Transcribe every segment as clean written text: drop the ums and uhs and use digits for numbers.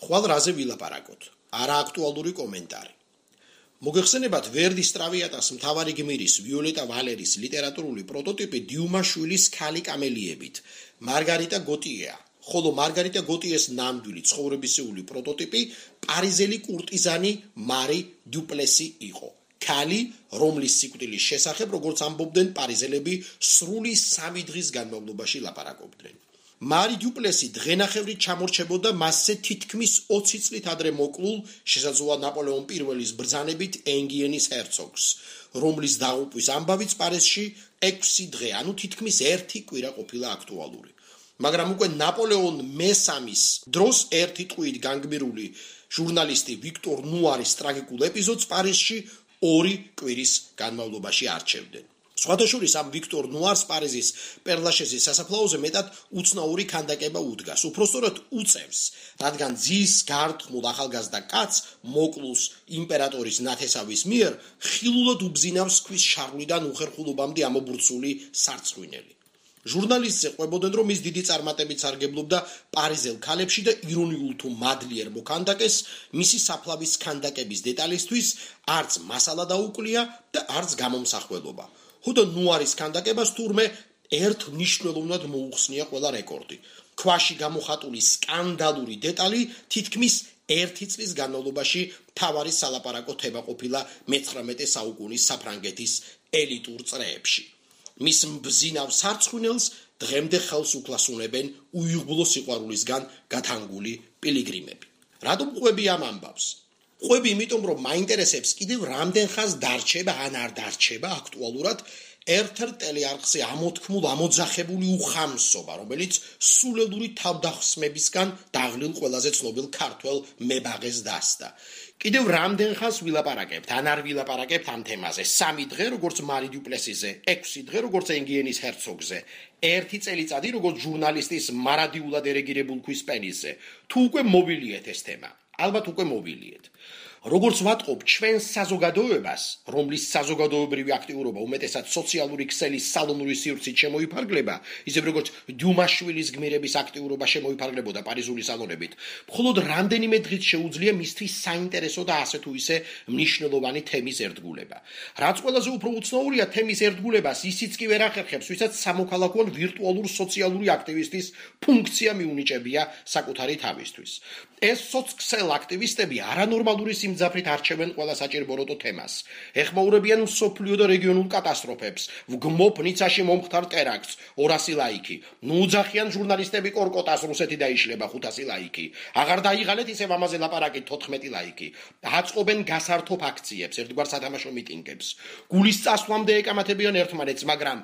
ხვალ რაზე ვილაპარაკოთ? არა აქტუალური კომენტარი. მოგეხსენებათ ვერდის ტრავიატას მთავარი გმირის ვიოლეტა ვალერის ლიტერატურული პროტოტიპი დიუმაშვილის ქალი კამელიებით მარგარიტა გოტიეა, ხოლო მარგარიტა გოტიეს ნამდვილი ცხოვრებისეული პროტოტიპი პარიზელი კურტიზანი მარი დუპლესი იყო. ქალი, რომლის სიკვდილის შესახებ, როგორც ამბობდნენ პარიზელები, სრული 3 დღის განმავლობაში ლაპარაკობდნენ. მარი დუპლესი დღენახევრით ჩამორჩებოდა მასზე თითქმის 20 წლით ადრე მოკლულ, შესაძლოა ნაპოლეონ პირველის ბრძანებით ენგიენის ჰერცოგს, რომლის დაღუპვის ამბავიც პარიზში 6 დღე, ანუ თითქმის 1 კვირა ყოფილა აქტუალური. მაგრამ უკვე ნაპოლეონ მესამის დროს 1 ტყვით განგმირული ჟურნალისტი ვიქტორ ნუარის ტრაგიკულ ეპიზოდს პარიზში 2 კვირის განმავლობაში არჩევდნენ. სხვადასხვა ამ ვიქტორ ნუარს პარიზის პერლაშეზის სასაფლაოზე მეტად უცნაური ქანდაკება უდგას, უпростоრად უწევს, რადგან ძის გართმულ ახალგაზრდა კაცს მოკლულს იმპერატორის ნათესავის მიერ ხილულად უბზინავს ქვის შარვლიდან უხერხულობამდე ამობურცული სარცხვინელი. ჟურნალისტზე ყვებოდნენ, რომ ის დიდი წარმატებით სარგებლობდა პარიზელ ქალებში და ირონიულ თუ მადლიერ მოქანდაკეს მისი საფლავის ქანდაკების დეტალისთვის არც მასალა დაუკლია და არც გამომსახველობა. ხოდა ნუარის ქანდაკებას თურმე ერთ მნიშვნელოვნად მოუხსნია ყველა რეკორდი. ქვაში გამოხატული სკანდალური დეტალი თითქმის 1 წლის განმავლობაში მთავარი სალაპარაკო თემა ყოფილა მე-19 საუკუნის საფრანგეთის ელიტურ წრეებში. მის მბზინავ სარცხვინელს დღემდე ხელს უკლასუნებენ უიღბლო სიყვარულისგან გათანგული პილიგრიმები. რატომ ყვები ამ ამბავს? ყვები იმიტომ, რომ მაინტერესებს კიდევ რამდენ ხანს დარჩება ან არ დარჩება აქტუალურად ერთ-ერთ ტელეარხზე ამოთქმულ ამოძახებული უხამსობა, რომელიც სულელური თავდახსმებისგან დაღლილ ყველაზე ცნობილ ქართველ მებაღეს დასდა. კიდევ რამდენ ხანს ვილაპარაკებთ, ან არ ვილაპარაკებთ ამ თემაზე? 3 დღე, როგორც მარი დუპლესიზე, 6 დღე, როგორც ენგიენის ჰერცოგზე, 1 წელიწადი, როგორც ჟურნალისტის მარადიულად ერეგირებულ ქვის პენისზე. თუ უკვე მოვილიეთ ეს თემა, ალბათ უკვე მოვილიეთ. როგორც ვატყობ ჩვენს საზოგადოებას, რომლის საზოგადოებრივი აქტიურობა უმეტესად სოციალური ქსელის სალონური სივრცით შემოიფარგლება, ისევ როგორც დიუმაშვილის გმირების აქტიურობა შემოიფარგლებოდა პარიზული სალონებით, მხოლოდ რამდენიმე დღით შეუძლია მისთვის საინტერესო და ასე თუ ისე მნიშვნელოვანი თემის ერთგულება. რაც ყველაზე უფრო უცნაურია, თემის ერთგულებას ისიც კი ვერ ახერხებს, ვისაც სამოქალაქო ან ვირტუალურ სოციალური აქტივისტის ფუნქცია მიუნიჭებია საკუთარი თავისთვის. ეს სოციალ აქტივისტები არანორმალური სიმძაფრით არჩევენ ყველა საჭიროებო თემას. ეხმაურებიან მსოფლიო და რეგიონულ კატასტროფებს, ვგმობ ნიცაში მომხდარ ტერაქტს 200 ლაიქი. ნუ უძახიან ჟურნალისტები კორკოტას რუსეთი დაიშლება 500 ლაიქი. აღარ დაიღალეთ ისევ ამაზე ლაპარაკით 14 ლაიქი. აწყობენ გასართობ აქციებს, ერთგვარ სათამაშო მიტინგებს. გულის წასვლამდე ეკამათებიან ერთმანეთს, მაგრამ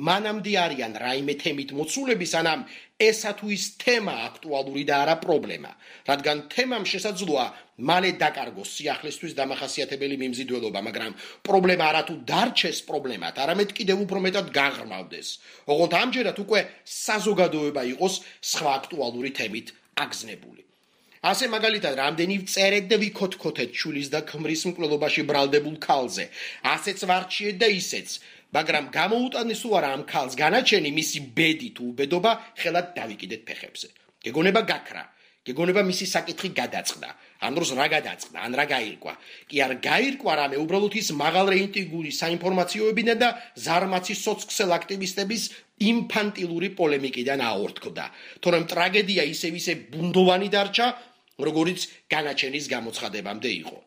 მანამდე არიან რაიმე თემით მოცულები, სანამ ესა თუ ის თემა აქტუალური და არა პრობლემა, რადგან თემამ შესაძლოა მალე დაკარგოს სიახლესთვის დამახასიათებელი მიმზიდველობა, მაგრამ პრობლემა არა თუ დარჩეს პრობლემად, არამედ კიდევ უფრო მეტად გაღრმავდეს. ოღონდ ამჯერად უკვე საზოგადოება იყოს სხვა აქტუალური თემით აგზნებული. ასე მაგალითად, რამდენი ვწერეთ და ვიქოთქოთეთ ჩულის და ქმრის მკვლელობაში ბრალდებულ ქალზე, ასეც ვარჩიეთ და ისეც, მაგრამ გამოუტანეს თუ არა ამ ქალს განაჩენი, მისი ბედი თუ უბედობა ხელად დავიკიდეთ ფეხებზე. გეგონება გაქრა, გეგონება მისი საკითხი გადაწყდა. ამ დროს რა გადაწყდა, ან რა გაირკვა? კი არ გაირკვა რამე, უბრალოდ ის მაღალ რეიტინგური საინფორმაციოებიდან და ზარმაცი სოციალ აქტივისტების ინფანტილური პოლემიკიდან აორთქდა. თორემ ტრაგედია ისევ ბუნდოვანი დარჩა, როგორც განაჩენის გამოცხადებამდე იყო.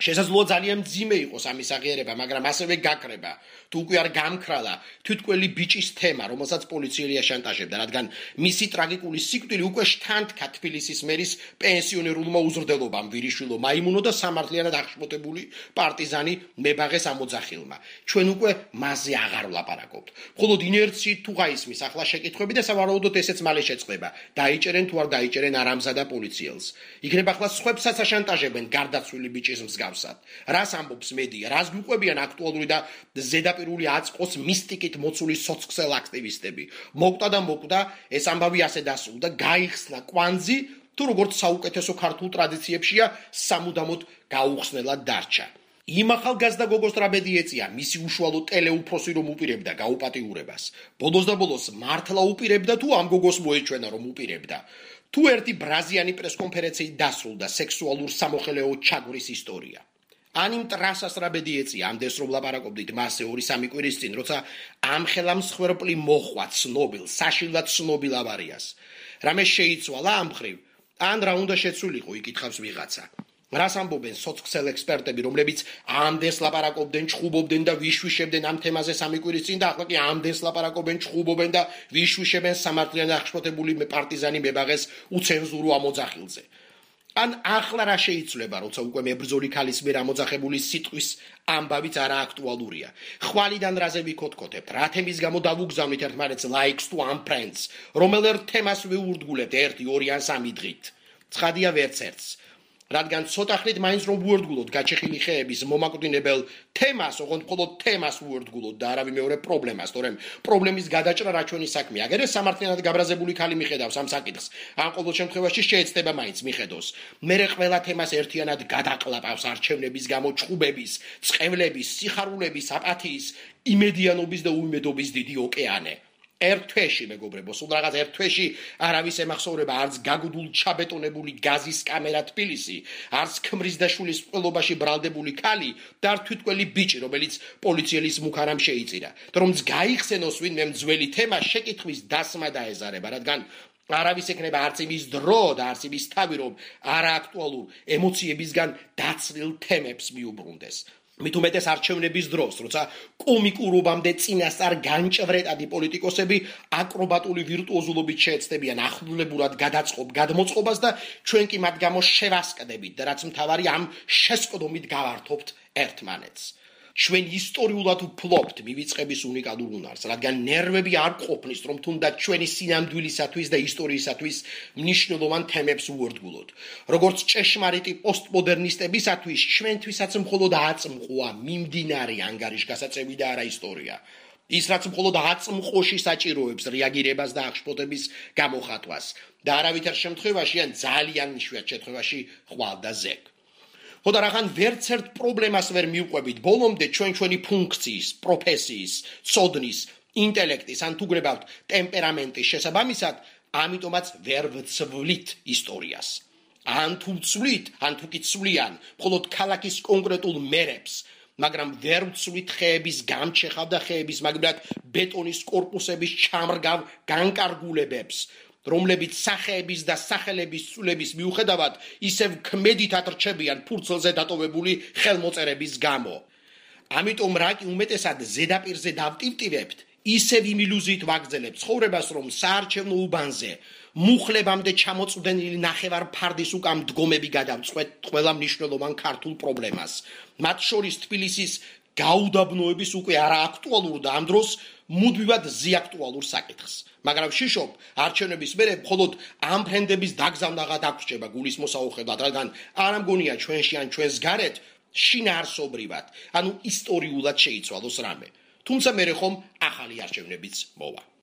შესაძლოა ძალიან მძიმე იყოს ამის აღიარება, მაგრამ ასევე გაქრება. თუ უკვე არ გამქრალა თვითკველი ბიჭის თემა, რომელსაც პოლიციელია შანტაჟებდა, რადგან მისი ტრაგიკული სიკვდილი უკვე შთანთქა თბილისის მერის პენსიონერულმა უზრდელობამ, ვირიშვილო მაიმუნო და სამართლიანად აღშფოთებული პარტიზანი მებაღეს ამოძახილმა. ჩვენ უკვე მასზე აღარ ვლაპარაკობთ. მხოლოდ ინერციით თუ გაისმის ახლა შეკითხვები და სავარაუდოდ ესეც მალე შეწყდება. დაიჭერენ თუ არ დაიჭერენ არამზადა პოლიციელს. იქნება ახლა სხვებსაც აშანტაჟებენ გარდაცვლილი ბიჭის მსგავსად. რას ამბობს მედია, რას გვიყვებიან აქტუალური და ზედაპირული აწყოს მისტიკით მოცული სოციალ აქტივისტები. მოკვდა და მოკვდა, ეს ამბავი ასე დასრულდა, გაიხსნა კვანძი, თუ როგორც საუკეთესო ქართულ ტრადიციებშია სამუდამოდ გაუხსნელად დარჩა. იმ ახალგაზრდა გოგოს ტრაგედია ეწია, მისი უშუალო ტელეუფროსი რომ უპირებდა გაუპატიურებას. ბოლოს და ბოლოს მართლა უპირებდა თუ ამ გოგოს მოეჩვენა რომ უპირებდა. თუ ერთი ბრაზიანი პრესკონფერენციით დასრულდა სექსუალურ სამოხელეო ჩაგვრის ისტორია. ან იმ ტრასას რა ბედი ეწია ამდენს რომ ლაპარაკობდით მასზე 2-3 კვირის წინ, როცა ამხელა მსხვერპლი მოხვა ცნობილ, საშინლად ცნობილ ავარიას. რამე შეიცვალა ამ მხრივ, ან რა უნდა შეცვლილიყო, იკითხავს ვიღაცა. რას ამბობენ სოციალ ექსპერტები, რომლებიც ამდენს ლაპარაკობდნენ, ჩხუბობდნენ და ვიშვიშებდნენ ამ თემაზე 3 კვირის წინ და ახლა კი ამდენს ლაპარაკობენ, ჩხუბობენ და ვიშვიშებენ სამართლიანი აღშფოთებული პარტიზანი მებაღეს უცენზურო ამოძახილზე. ან ახლა რა შეიცვლება, როცა უკვე მებრძოლი ქალის მიერ ამოძახებული სიტყვის ამბავიც არა აქტუალურია. ხვალიდან რაზე ვიქოთქოთებთ, რა თემის გამო დავუგზავნით ერთმანეთს likes to unfriends, რომელ ერთ თემას ვიურდგულებთ 1, 2 ან 3 დღით. ცხადია ვერც ერთს. რადგან ცოტა ხნით მაინც რომ ვუერთგულოთ გაჩეხილი ხეების მომაკვდინებელ თემას, ოღონდ მხოლოდ თემას ვუერთგულოთ და არავინ მეორე პრობლემას, თორემ პრობლემის გადაჭრა რა ჩვენი საქმეა. აგერ ეს სამართლიანად გაბრაზებული ქალი მიხედავს ამ საკითხს. ამ ყოველ შემთხვევაში შეეცდება მაინც მიხედოს. მერე ყველა თემას ერთიანად გადაყლაპავს არჩევნების გამო ჩხუბების, წყევლების, სიხარულების, აპათიის, იმედიანობის და უიმედობის დიდი ოკეანე. ერთ თვეში მეგობრებო, სულ რაღაც ერთ თვეში არავის ემახსოვრება არც გაგუდულ ჩაბეტონებული გაზის კამერა თბილისი, არც ქმრის და შვილის წყვილობაში ბრალდებული ქალი და არ თვითკველი ბიჭი, რომელიც პოლიციელის მუქარამ შეიწირა. რომც გაიხსენოს ვინმე მძველი თემა შეკითხვის დასმა დაეზარება, რადგან არავის ექნება არც იმის დრო და არც იმის თავი, რომ არააქტუალურ ემოციებისგან დაცლილ თემებს მიუბრუნდეს. მით უმეტეს არჩევნების დროს, როცა კომიკურობამდე წინასწარ განჭვრეტადი პოლიტიკოსები აკრობატული ვირტუოზულობით შეეცდებიან ახლულებურად გადმოწყობას და ჩვენ კი მათ გამო შევასკდებით და რაც მთავარი ამ შესყდომით გავართობთ ერთმანეთს. ჩვენ ისტორიულად ვფლობთ მივიწყების უნიკალურ უნარს, რადგან ნერვები არ ყოფნის, რომ თუნდაც ჩვენი სინამდვილისათვის და ისტორიისათვის მნიშვნელოვან თემებს ვუერთგულოთ. როგორც ჭეშმარიტი პოსტმოდერნისტებისათვის, ჩვენთვისაც მხოლოდ აწმყოა მიმდინარე ანგარიშგასაწევი და არა ისტორია. ის რაც მხოლოდ აწმყოში საჭიროებს რეაგირებას და აღშფოთების გამოხატვას და არავითარ შემთხვევაში ან ძალიან იშვიათ შემთხვევაში ხვალ და ზეგ. ხოდა რახან ვერც ერთ პრობლემას ვერ მივყვებით ბოლომდე ჩვენი ფუნქციის, პროფესიის, ცოდნის, ინტელექტის ან თუ გრებავთ ტემპერამენტის შესაბამისად, ამიტომაც ვერ ვცვლით ისტორიას. ან თუ ვცვლით, ან თუ კი ცვლიან, მხოლოდ ქალაქის კონკრეტულ მერებს, მაგრამ ვერ ვცვლით ხეების გამჩეხავ და ხეების მაგალითად ბეტონის კორპუსების ჩამრგავ განკარგულებებს, რომლებიც სახეების და სახელების ცვლილების მიუხედავად ისევ ქმედითად რჩებიან ფურცლზე დატოვებული ხელმოწერების გამო. ამიტომ რა კი უმეტესად ზედაპირზე დავტივტივებთ, ისევ იმ ილუზიით ვაგრძელებთ ცხოვრებას, რომ საარჩევნო უბანზე მუხლებამდე ჩამოწვდენილი ნახევარ ფარდის უკან მდგომები გადავწყვეტ ყველა მნიშვნელოვან ქართულ პრობლემას. მათ შორის თბილისის გაუდაბნოების უკვე არააქტუალურ და ამ დროს მუდმივად ზეაქტუალურ საკითხს. მაგრამ შიშობ არჩევნების მერე მხოლოდ ამ ფრენდების დაგზავნა გადაგრჩება გულის მოსაუხებლად, რადგან არ ამგონია ჩვენში ან ჩვენს გარეთ შინაარსობრივად, ანუ ისტორიულად შეიცვალოს რამე. თუმცა მერე ხომ ახალი არჩევნებიც მოვა.